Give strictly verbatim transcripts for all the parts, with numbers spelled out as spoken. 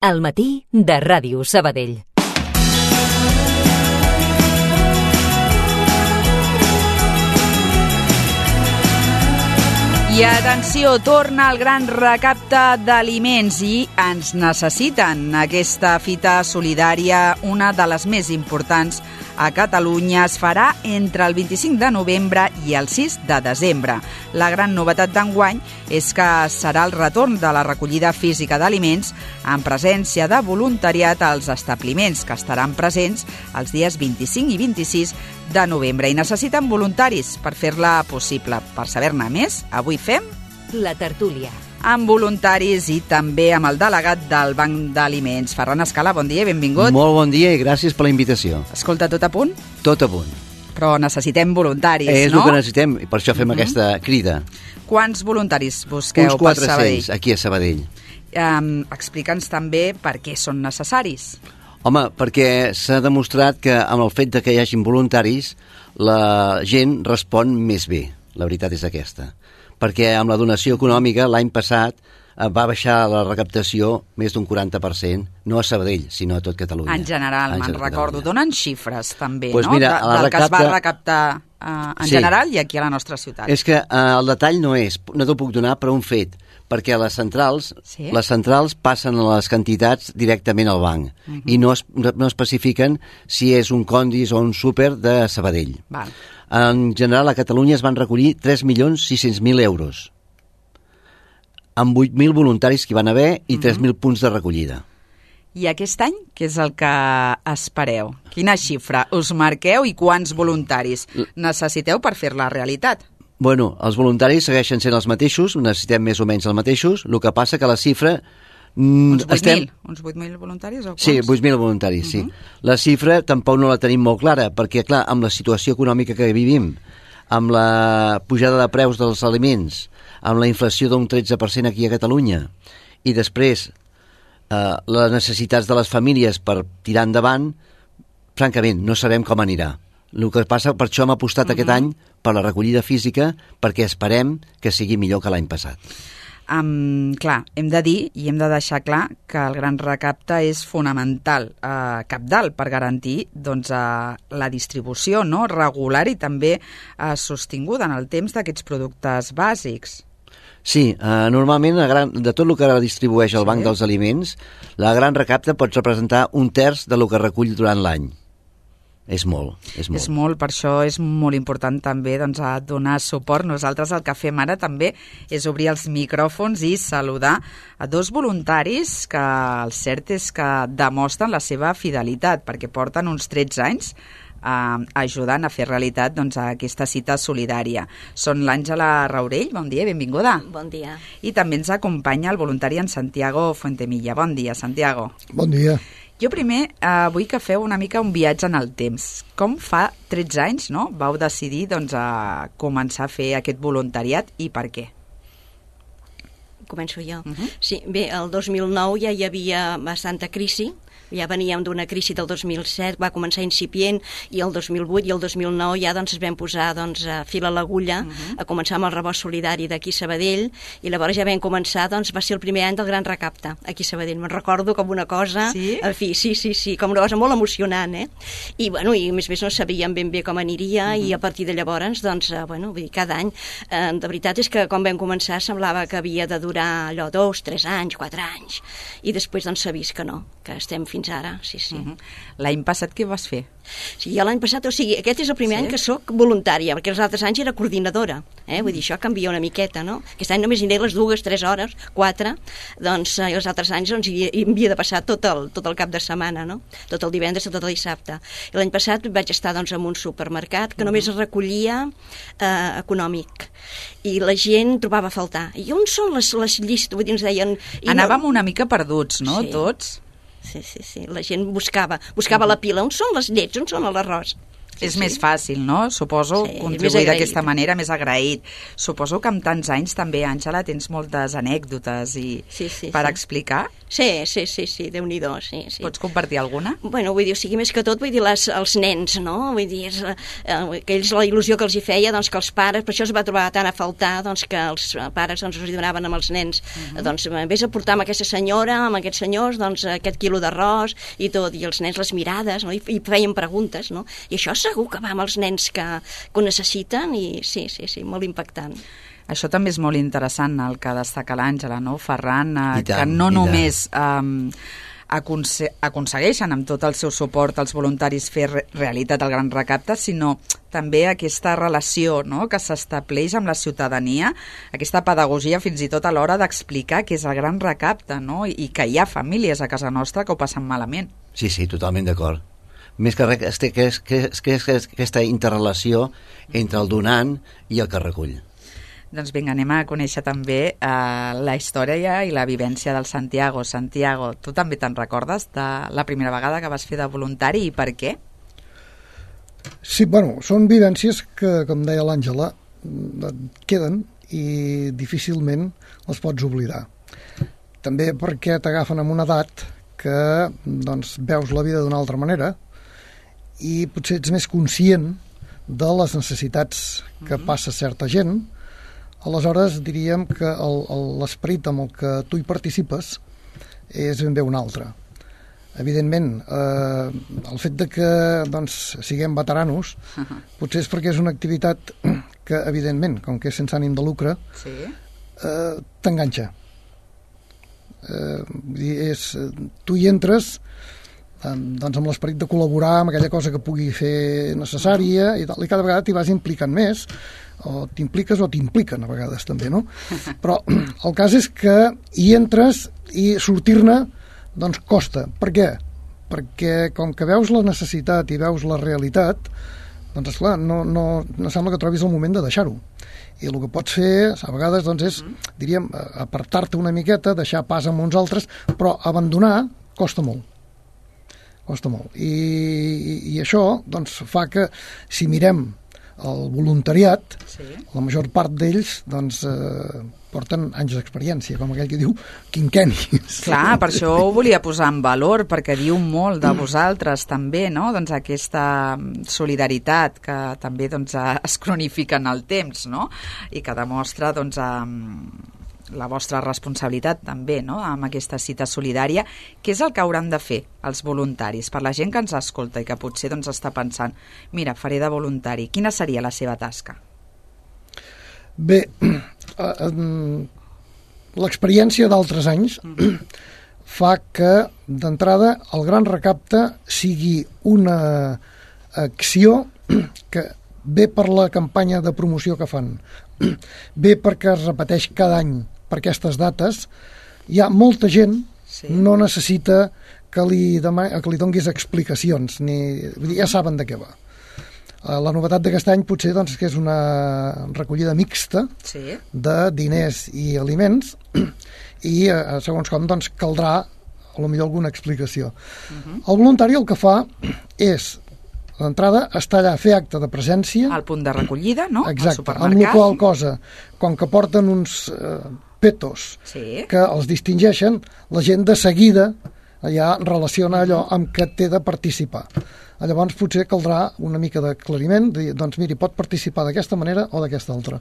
Al matí de Ràdio Sabadell. I atenció, torna el gran recapte d'aliments i ens necessiten. Aquesta fita solidària, una de les més importants a Catalunya, es farà entre el vint-i-cinc de novembre i el sis de desembre. La gran novetat d'enguany és que serà el retorn de la recollida física d'aliments en presència de voluntariat als establiments, que estaran presents els dies vint-i-cinc i vint-i-sis de novembre i necessiten voluntaris per fer-la possible. Per saber-ne més, avui fem La tertúlia. Amb voluntaris i també amb el delegat del Banc d'Aliments. Ferran Escala, bon dia i benvingut. Molt bon dia i gràcies per la invitació. Escolta, tot a punt? Tot a punt. Però necessitem voluntaris, és no? És el que necessitem i per això fem uh-huh. aquesta crida. Quants voluntaris busqueu Uns per Sabadell? Uns quatre-cents aquí a Sabadell. Um, Explica'ns també per què són necessaris. Home, perquè s'ha demostrat que amb el fet de que hi hagin voluntaris la gent respon més bé, la veritat és aquesta. Perquè amb la donació econòmica l'any passat va baixar la recaptació més d'un quaranta per cent, no a Sabadell, sinó a tot Catalunya. En general, me'n recordo. Donen xifres, també, pues no? Mira, de, del recapta... que es va recaptar uh, en sí. general i aquí a la nostra ciutat. És que uh, el detall no és, no t'ho puc donar, però un fet, perquè a les centrals, sí? les centrals passen les quantitats directament al banc uh-huh. i no, es, no especifiquen si és un Condis o un súper de Sabadell. Val. En general, a Catalunya es van recollir tres milions sis-cents mil euros, amb vuit mil voluntaris que hi van haver i uh-huh. tres mil punts de recollida. I aquest any, què és el que espereu? Quina xifra us marqueu i quants voluntaris necessiteu per fer-la realitat? Bueno, els voluntaris segueixen sent els mateixos, necessitem més o menys els mateixos, el que passa que la xifra... Uns vuit mil? Uns vuit mil voluntaris o quants? Sí, vuit mil voluntaris, uh-huh. sí. La xifra tampoc no la tenim molt clara, perquè, clar, amb la situació econòmica que vivim, amb la pujada de preus dels aliments, amb la inflació d'un tretze per cent aquí a Catalunya, i després eh, les necessitats de les famílies per tirar endavant, francament, no sabem com anirà. El que passa, per això hem apostat uh-huh. aquest any per la recollida física, perquè esperem que sigui millor que l'any passat. Um, clar, hem de dir i hem de deixar clar que el gran recapte és fonamental, eh, cabdal, per garantir doncs, eh, la distribució no? regular i també eh, sostinguda en el temps d'aquests productes bàsics. Sí, eh, normalment a gran, de tot el que distribueix el sí. Banc dels Aliments, la gran recapte pot representar un terç de lo que recull durant l'any. És molt, és molt. És molt, per això és molt important també doncs, a donar suport. Nosaltres el que fem ara també és obrir els micròfons i saludar a dos voluntaris que el cert és que demostren la seva fidelitat, perquè porten uns tretze anys eh, ajudant a fer realitat doncs, aquesta cita solidària. Són l'Àngela Raurell, bon dia, benvinguda. Bon dia. I també ens acompanya el voluntari en Santiago Fuentemilla. Bon dia, Santiago. Bon dia. Jo primer eh, vull que feu una mica un viatge en el temps. Com fa tretze anys no, vau decidir doncs, a començar a fer aquest voluntariat i per què? Començo jo. Uh-huh. Sí, bé, el dos mil nou ja hi havia bastanta crisi, ja veníem d'una crisi del dos mil set, va començar incipient, i el dos mil vuit i el dos mil nou ja doncs, es vam posar doncs, a fil a l'agulla, uh-huh. a començar amb el rebost solidari d'aquí a Sabadell, i llavors ja vam començar, doncs va ser el primer any del gran recapte aquí a Sabadell. Me'n recordo com una cosa, sí? en fi, sí, sí, sí, com una cosa molt emocionant, eh? I, bueno, i a més a més no sabíem ben bé com aniria, uh-huh. i a partir de llavors, doncs, eh, bueno, vull dir, cada any, eh, de veritat és que quan vam començar semblava que havia de durar allò dos, tres anys, quatre anys, i després doncs s'ha vist que no, que estem fins ara, sí, sí. Uh-huh. L'any passat què vas fer? Sí, jo l'any passat, o sigui, aquest és el primer sí? any que sóc voluntària, perquè els altres anys era coordinadora, eh? Vull dir, això canvia una miqueta, no? Aquest any només hi aniré les dues, tres hores, quatre, doncs eh, els altres anys doncs, hi, hi havia de passar tot el, tot el cap de setmana, no? Tot el divendres, tot el dissabte. I l'any passat vaig estar doncs, en un supermercat que només es recollia eh, econòmic, i la gent trobava a faltar. I on són les, les llistes? Vull dir, ens deien... Anàvem no... una mica perduts, no? Sí. Tots? Sí, sí, sí. La gent buscava, buscava uh-huh. la pila. On són les llets? On són l'arròs? Sí, és sí. més fàcil, no? Suposo, Sí, contribuir més d'aquesta agraït. manera, més agraït. Suposo que amb tants anys també, Àngela, tens moltes anècdotes i Sí, sí, per sí. explicar. Sí, sí, sí, sí, Déu-n'hi-do, sí, sí. Pots compartir alguna? Bueno, vull dir, o sigui, més que tot, vull dir, les, els nens, no? Vull dir, és, eh, que ells, la il·lusió que els hi feia, doncs, que els pares, per això es va trobar tant a faltar, doncs, que els pares, doncs, els hi donaven amb els nens, uh -huh. doncs, vés a portar amb aquesta senyora, amb aquests senyors, doncs, aquest quilo d'arròs i tot, i els nens les mirades, no? I, i feien preguntes, no? I això segur que va amb els nens que, que ho necessiten, i sí, sí, sí, molt impactant. Això també és molt interessant, el que destaca l'Àngela, no, Ferran? Eh, I tant, que no i només eh, aconse aconsegueixen amb tot el seu suport als voluntaris fer re realitat el gran recapte, sinó també aquesta relació, no?, que s'estableix amb la ciutadania, aquesta pedagogia fins i tot a l'hora d'explicar què és el gran recapte, no?, i, i que hi ha famílies a casa nostra que ho passen malament. Sí, sí, totalment d'acord. Més que res, que és, que és, que és, que és aquesta interrelació entre el donant i el que recull. Doncs vinga, anem a conèixer també eh, la història i la vivència del Santiago. Santiago, tu també te'n recordes de la primera vegada que vas fer de voluntari i per què? Sí, bueno, són vivències que, com deia l'Àngela, queden i difícilment les pots oblidar. També perquè t'agafen en una edat que, doncs, veus la vida d'una altra manera i potser ets més conscient de les necessitats que mm-hmm. passa certa gent. Aleshores diríem que l'esperit amb el que tu hi participes és ben bé un altre. Evidentment, eh, el fet de que doncs, siguem veteranos uh-huh. potser és perquè és una activitat que, evidentment, com que és sense ànim de lucre, sí. eh, t'enganxa. Eh, és, tu hi entres eh, doncs amb l'esperit de col·laborar amb aquella cosa que pugui fer necessària i, tal, i cada vegada t'hi vas implicant més, o t'impliques o t'impliquen a vegades també, no? Però el cas és que hi entres i sortir-ne doncs costa. Per què? Perquè com que veus la necessitat i veus la realitat, doncs esclar, no, no, no sembla que trobis el moment de deixar-ho. I el que pots fer a vegades doncs, és, diríem, apartar-te una miqueta, deixar pas amb uns altres, però abandonar costa molt. Costa molt. I, i, i això doncs, fa que si mirem el voluntariat, sí. la major part d'ells doncs, eh, porten anys d'experiència, com aquell que diu quinquennis. Clar, per això ho volia posar en valor, perquè diu molt de vosaltres també, no? Doncs aquesta solidaritat que també doncs, es cronifica en el temps, no? I que demostra doncs, la vostra responsabilitat també, no?, amb aquesta cita solidària. Què és el que hauran de fer els voluntaris? Per la gent que ens escolta i que potser doncs, està pensant, mira, faré de voluntari, quina seria la seva tasca? Bé, l'experiència d'altres anys fa que, d'entrada, el gran recapte sigui una acció que ve per la campanya de promoció que fan, ve perquè es repeteix cada any per aquestes dates. Hi ha molta gent, sí. no necessita que li, demà, que li donguis explicacions, ni, ja saben de què va. La novetat d'aquest any potser doncs, que és una recollida mixta sí. de diners i aliments i segons com doncs, caldrà a lo millor alguna explicació. Uh-huh. El voluntari el que fa és d'entrada està allà a fer acte de presència. Al punt de recollida, no? Exacte, amb la qual cosa, com que porten uns eh, petos sí. que els distingeixen, la gent de seguida ja relaciona allò amb què té de participar. Llavors potser caldrà una mica d'aclariment, de, doncs miri, pot participar d'aquesta manera o d'aquesta altra.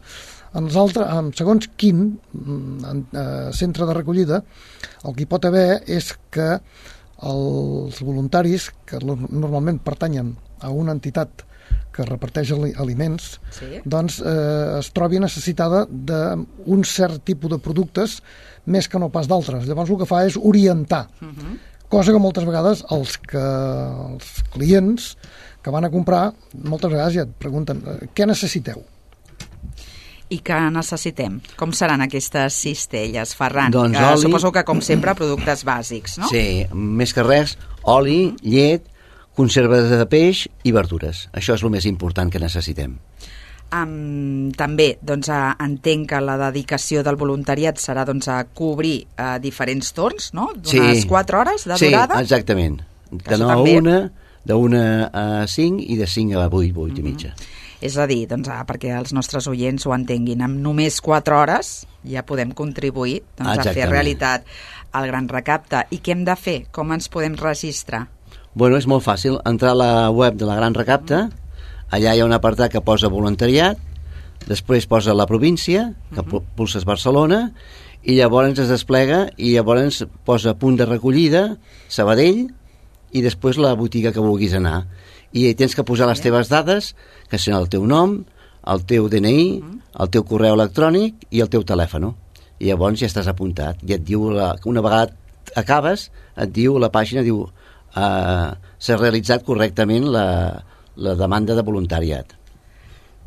En els altres, en segons quin en, eh, centre de recollida, el que hi pot haver és que els voluntaris, que normalment pertanyen a una entitat que reparteix aliments, sí. doncs eh, es trobi necessitada d'un cert tipus de productes més que no pas d'altres. Llavors el que fa és orientar, uh-huh. cosa que moltes vegades els, que, els clients que van a comprar, moltes vegades ja et pregunten què necessiteu? I què necessitem? Com seran aquestes cistelles, Ferran? Doncs que oli... Suposo que, com sempre, productes bàsics, no? Sí, més que res, oli, llet, conserves de peix i verdures. Això és el més important que necessitem. Um, també doncs, uh, entenc que la dedicació del voluntariat serà doncs, a cobrir uh, diferents torns, no? D'unes sí. quatre hores de sí, durada? Sí, exactament. De nou a també... una, d'una a cinc i de cinc a vuit, vuit i mitja. És a dir, doncs, ah, perquè els nostres oients ho entenguin, amb només quatre hores ja podem contribuir doncs, a fer realitat el Gran Recapte. I què hem de fer? Com ens podem registrar? Bueno, és molt fàcil. Entrar a la web de la Gran Recapte, allà hi ha un apartat que posa voluntariat, després posa la província, que uh-huh. pulses Barcelona, i llavors es desplega i llavors posa punt de recollida, Sabadell, i després la botiga que vulguis anar. I tens que posar les teves dades, que són el teu nom, el teu D N I, el teu correu electrònic i el teu telèfon. I llavors ja estàs apuntat. I et diu, la, una vegada acabes, et diu, la pàgina diu uh, s'ha realitzat correctament la, la demanda de voluntariat.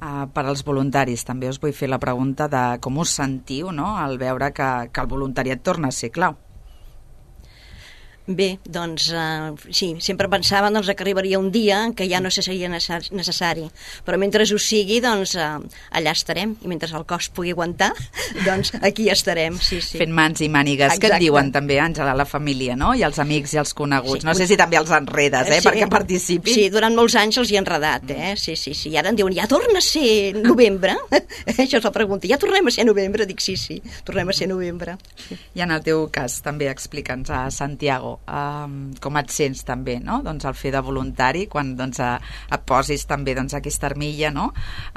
Uh, per als voluntaris també us vull fer la pregunta de com us sentiu, no?, al veure que, que el voluntariat torna a ser clau. Bé, doncs, uh, sí, sempre pensava doncs, que arribaria un dia que ja no seria necessari, però mentre ho sigui, doncs, uh, allà estarem, i mentre el cos pugui aguantar, doncs aquí estarem, sí, sí. Fent mans i mànigues. Exacte. Que et diuen també, Àngela, la família, no?, i els amics i els coneguts. Sí. No sé si també els enredes, eh, sí. perquè participin. Sí, durant molts anys els hi he enredat, eh, sí, sí, sí, i ara em diuen, ja torna a ser novembre? Això és la pregunta, ja tornem a ser novembre? Dic, sí, sí, tornem a ser novembre. I en el teu cas, també explica'ns a Santiago, Um, com et sents també, no?, doncs el fer de voluntari quan doncs, a, et posis també doncs, aquesta armilla, no?,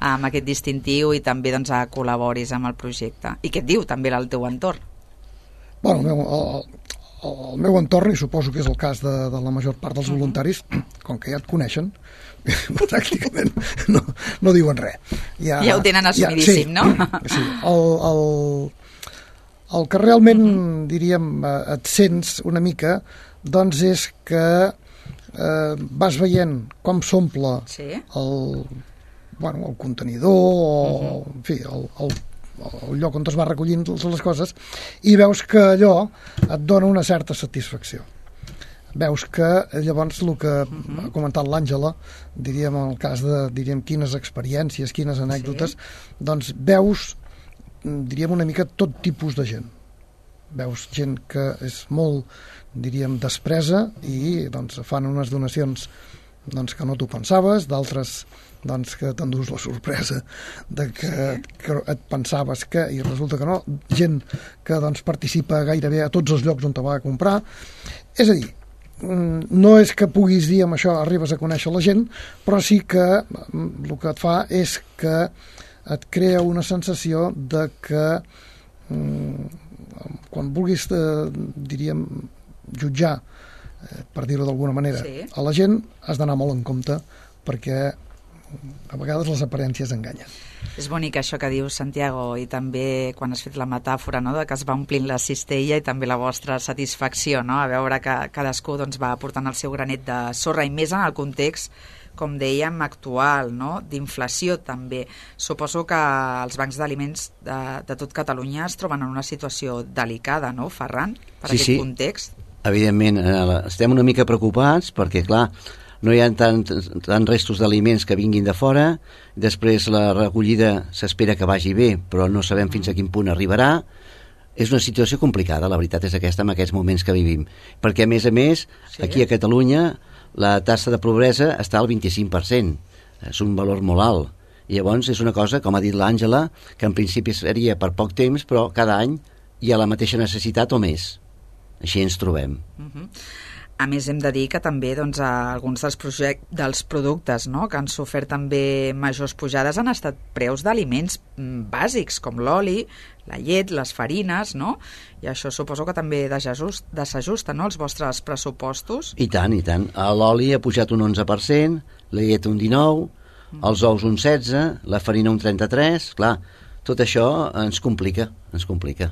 amb aquest distintiu i també doncs, a col·laboris amb el projecte. I què et diu també el teu entorn? Bueno, el meu, el, el meu entorn, i suposo que és el cas de, de la major part dels voluntaris, com que ja et coneixen, pràcticament no, no diuen res. Ja, ja ho tenen assumidíssim, ja, sí, no? Sí, el... el El que realment, uh-huh. diríem, et sents una mica, doncs és que eh, vas veient com s'omple sí. el, bueno, el contenidor, o, uh-huh. en fi, el, el, el lloc on es va recollint les coses, i veus que allò et dona una certa satisfacció. Veus que llavors el que uh-huh. ha comentat l'Àngela, diríem en el cas de diríem, quines experiències, quines anècdotes, sí. doncs veus diríem una mica tot tipus de gent. Veus gent que és molt, diríem, despresa i doncs, fan unes donacions doncs, que no t'ho pensaves, d'altres doncs, que t'endús la sorpresa de que, que et pensaves que i resulta que no. Gent que doncs, participa gairebé a tots els llocs on te va a comprar. És a dir, no és que puguis dir amb això arribes a conèixer la gent, però sí que el que et fa és que et crea una sensació de que mm, quan vulguis, eh, diríem, jutjar, eh, per dir-ho d'alguna manera, sí. a la gent has d'anar molt en compte perquè a vegades les aparències enganyen. És bonic això que dius, Santiago, i també quan has fet la metàfora, no?, de que es va omplint la cistella i també la vostra satisfacció, no?, a veure que cadascú doncs, va aportant el seu granet de sorra, i més en el context, com dèiem, actual, no?, d'inflació també. Suposo que els bancs d'aliments de, de tot Catalunya es troben en una situació delicada, no, Ferran, per sí, aquest sí. context? Evidentment, estem una mica preocupats perquè, clar, no hi ha tants tant restos d'aliments que vinguin de fora, després la recollida s'espera que vagi bé, però no sabem fins a quin punt arribarà. És una situació complicada, la veritat és aquesta, en aquests moments que vivim, perquè a més a més, sí. aquí a Catalunya la taxa de pobresa està al vint-i-cinc per cent, és un valor molt alt, i llavors és una cosa, com ha dit l'Àngela, que en principi seria per poc temps, però cada any hi ha la mateixa necessitat o més. Així ens trobem. Uh-huh. A més, hem de dir que també doncs, alguns dels, project, dels productes, no?, que han sofert també majors pujades han estat preus d'aliments bàsics, com l'oli, la llet, les farines, no? I això suposo que també desajusta, no?, els vostres pressupostos. I tant, i tant. L'oli ha pujat un onze per cent, la llet un dinou per cent, els ous un setze per cent, la farina un trenta-tres per cent. Clar, tot això ens complica, ens complica.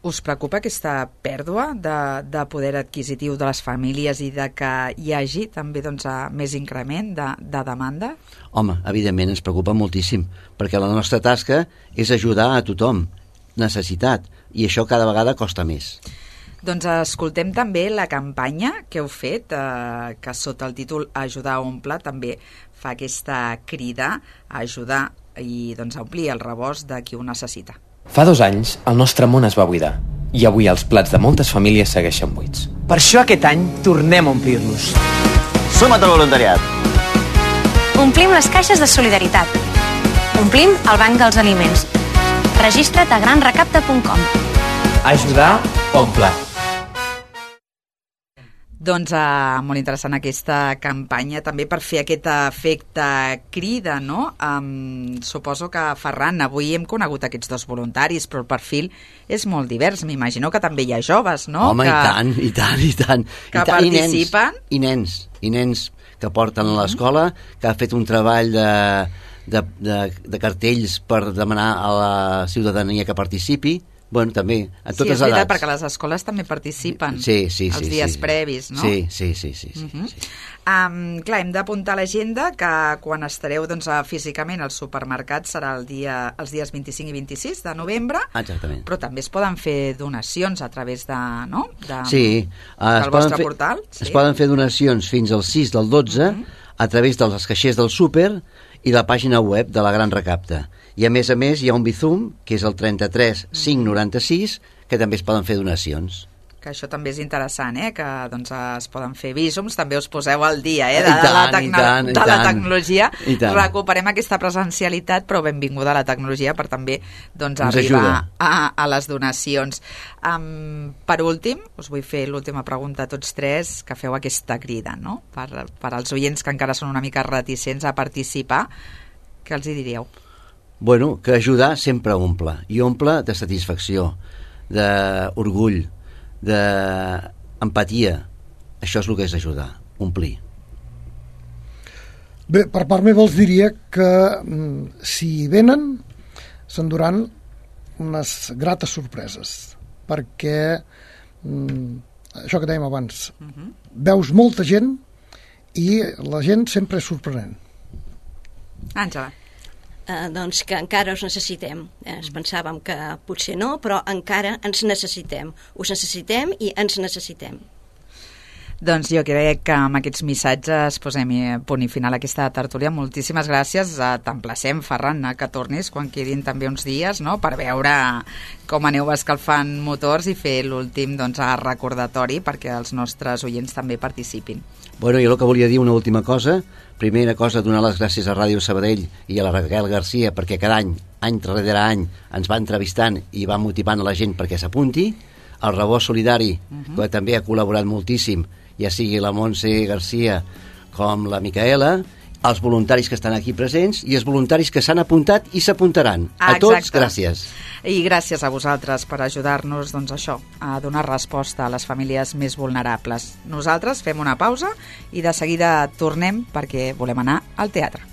Us preocupa aquesta pèrdua de, de poder adquisitiu de les famílies i de que hi hagi també doncs, més increment de, de demanda? Home, evidentment ens preocupa moltíssim, perquè la nostra tasca és ajudar a tothom, necessitat, i això cada vegada costa més. Doncs escoltem també la campanya que heu fet, eh, que sota el títol Ajudar a omplir també fa aquesta crida a ajudar i doncs, a omplir el rebost de qui ho necessita. Fa dos anys, el nostre món es va buidar i avui els plats de moltes famílies segueixen buits. Per això aquest any tornem a omplir-los. Suma't al voluntariat. Omplim les caixes de solidaritat. Omplim el banc dels aliments. Registra't a gran recapta punt com. Ajudar omple. Doncs uh, molt interessant aquesta campanya també per fer aquest efecte crida, no? Um, suposo que, Ferran, avui hem conegut aquests dos voluntaris, però el perfil és molt divers. M'imagino que també hi ha joves, no? Home, que, i tant, i tant, i tant. Que I tant, participen. I nens, i nens, i nens que porten a l'escola, que ha fet un treball de, de, de, de cartells per demanar a la ciutadania que participi. Bueno, també, a totes edats. Sí, és veritat, perquè les escoles també participen sí, sí, els sí, dies sí. previs, no? Sí, sí, sí. sí, sí, uh-huh. sí. Um, clar, hem d'apuntar a l'agenda que quan estareu doncs, físicament al supermercat serà el dia, els dies vint-i-cinc i vint-i-sis de novembre. Exactament. Però també es poden fer donacions a través de, no? de, sí, uh, del vostre fer, portal. Sí. Es poden fer donacions fins al sis del dotze uh-huh. a través dels caixers del súper i la pàgina web de la Gran Recapta. I a més a més hi ha un Bizum, que és el trenta-tres cinc noranta-sis, que també es poden fer donacions. Que això també és interessant, eh? Que doncs, es poden fer visums, també us poseu al dia eh? de, I tant, la, tecno- i tant, i de la tant. tecnologia. I tant. Recuperem aquesta presencialitat, però benvinguda a la tecnologia per també doncs, Ens arribar ajuda. a, a les donacions. Um, per últim, us vull fer l'última pregunta a tots tres, que feu aquesta crida, no? Per, per als oients que encara són una mica reticents a participar, què els hi diríeu? Bueno, que ajudar sempre omple, i omple de satisfacció, d'orgull, d'empatia. Això és el que és ajudar, omplir. Bé, per part meva els diria que mm, si venen s'enduran unes grates sorpreses, perquè mm, això que dèiem abans, uh-huh. veus molta gent i la gent sempre és sorprenent. Àngela. Uh, doncs que encara us necessitem. Eh, ens pensàvem que potser no, però encara ens necessitem. Us necessitem i ens necessitem. Doncs jo crec que amb aquests missatges posem punt i final a aquesta tertúlia. Moltíssimes gràcies. T'emplacem, Ferran, que tornis quan quedin també uns dies, no?, per veure com aneu escalfant motors i fer l'últim doncs, recordatori perquè els nostres oients també participin. Bueno, jo el que volia dir una última cosa. Primera cosa, donar les gràcies a Ràdio Sabadell i a la Raquel Garcia perquè cada any, any darrere any, ens va entrevistant i va motivant a la gent perquè s'apunti. El Rebost Solidari, uh-huh. que també ha col·laborat moltíssim, ja sigui la Montse Garcia com la Micaela, els voluntaris que estan aquí presents i els voluntaris que s'han apuntat i s'apuntaran. Ah, a tots, gràcies. I gràcies a vosaltres per ajudar-nos doncs, això, a donar resposta a les famílies més vulnerables. Nosaltres fem una pausa i de seguida tornem perquè volem anar al teatre.